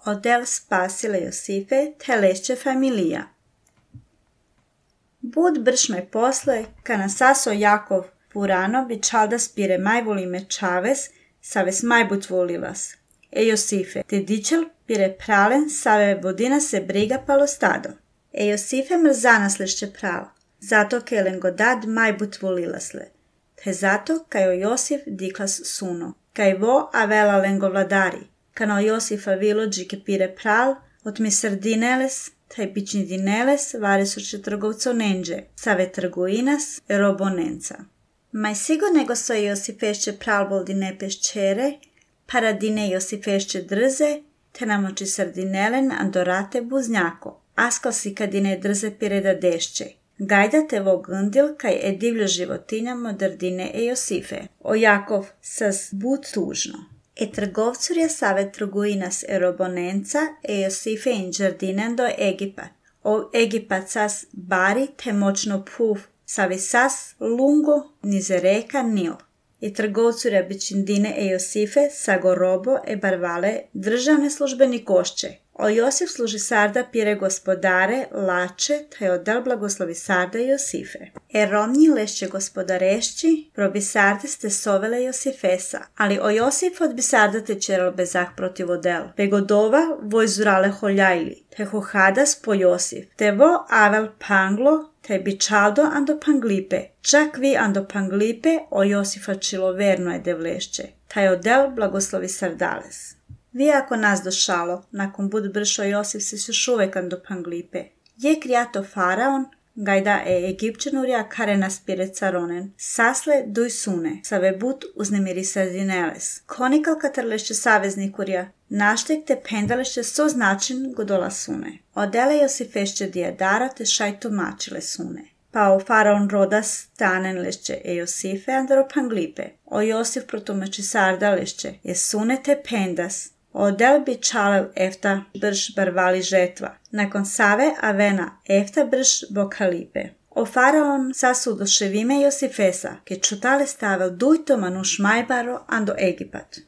Odel spasile Josife te lešće familija. Bud bršme posle, kana saso Jakov purano bičalda spire majvolime čaves, saves majbut volilas. Josife, te dičel pire pralen, save vodina se briga palo stado. Josife mrzanas lešće pralo, zato ke lengodad majbut volilasle. Te zato kaj o Josif diklas suno, kaj vo avela lengo vladari, kana o Josifa vilođi ke pire pral, otmi sardineles, taj bični dineles varesuće trgovco nenđe, save trgoinas robonenca. Maj sigo nego so Josifešće pralbol dine peščere, paradine Josifešće drze, te namoči sardinelen andorate buznjako, askal si kadine drze pireda dešće. Gajda te vo gndil kaj divljo životinja modrdine Josife. O Jakov sas bud tužno. Trgovcurja save trgoinas robonenca Josife in džardinen do Egipat. O Egipat sas bari te močno puf, savi sas lungo nize reka Nil. Trgovcurja bičindine Josife sago robo barvale državne službeni košće. O Josif služi sarda pire gospodare, lače, te odel blagoslovi sarda Josife. Romnji lešće gospodarešći, probi sarde ste sovele Josifesa, ali o Josif od bi sarda te čeral bezak protiv odel. Begodova vojzurale holjajli, te hohadas po Josif, te vo avel panglo, te bičaldo ando panglipe, čak vi ando panglipe o Josifa čiloverno je devlešće, taj odel blagoslovi sardales. Vi ako nas došalo, nakon bud bršo Josif se još uvek ando panglipe. Je krijato faraon, gajda Egipćanurja kare nas pire caronen, sasle duj sune, save bud uznemiri sardineles. Konikal katarlešće saveznikurja, naštek te pendalešće so značin godola sune. Odele Josifešće dijadara te šaj tumačile sune. Pa o faraon rodas tanen lešće Josife andro panglipe. O Josif protumači sarda lešće, sune te pendas. Odel bi čalel efta brš barvali žetva. Nakon save avena efta brš bokalipe. O faraon sasu doševime Josifesa, ke čutale stavel dujto manuš majbaro ando Egipat.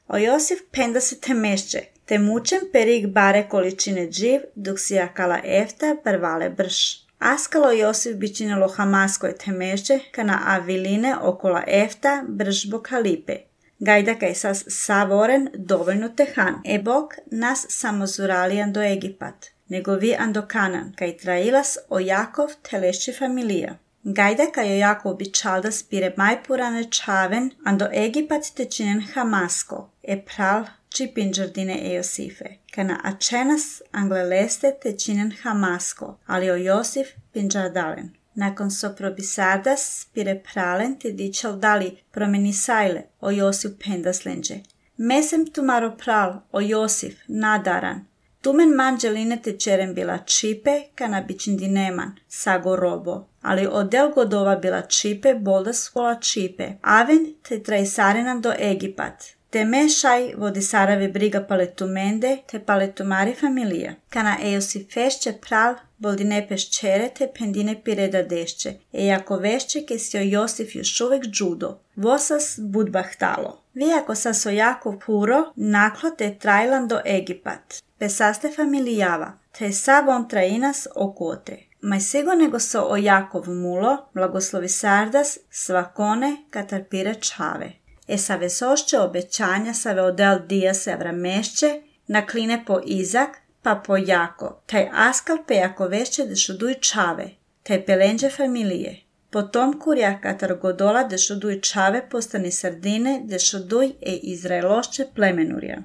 O Josif penda se te mešće, te mučem perig bare količine dživ, dok si jakala efta barvale brš. Askalo Josif bičinelo hamaskoj te mešće, kana aviline okola efta brž bokalipe. Gajda kaj sas savoren dovoljno tehan. Bog nas samozuralijan do Egipat, nego vi ando Kanan, kaj trailas o Jakov te lešće familija. Gajda kaj o Jakov bičalda spire majpurane čaven, ando Egipat te činen hamasko, pral čipin džardine Josife. Kana ačenas angleleste te činen hamasko, ali o Josif pinđardalen. Nakon so probisardas pire pralen te dičal dali promeni sajle o Josif pendaslenđe. Mesem tumaro pral o Josif nadaran. Tumen manđeline te čeren bila čipe kana bičindineman sago robo. Ali odel godova bila čipe boldas kola čipe. Aven te trajsarenan do Egipat. Te mešaj vodi sarave briga paletumende te paletumari familija. Kana Josifešće pral boldine peščere te pendine pireda dešće. Jako vešće ke si o Josif još uvek džudo. Vosas budbahtalo. Vi ako sas o jako puro naklo te trajlan do Egipat. Pesaste familijava. Te sav on trainas okote. Maj sigo nego so o Jakov mulo, blagoslovi sardas, svakone katarpire čave. Save sošće obećanja save odel dija se vramešće, nakline po Izak, pa po Jako, taj askal pe jako vešće dešuduj čave, taj pelenđe familije. Potom kurja katar godola dešuduj čave postani sardine dešuduj Izraelošće plemenurja.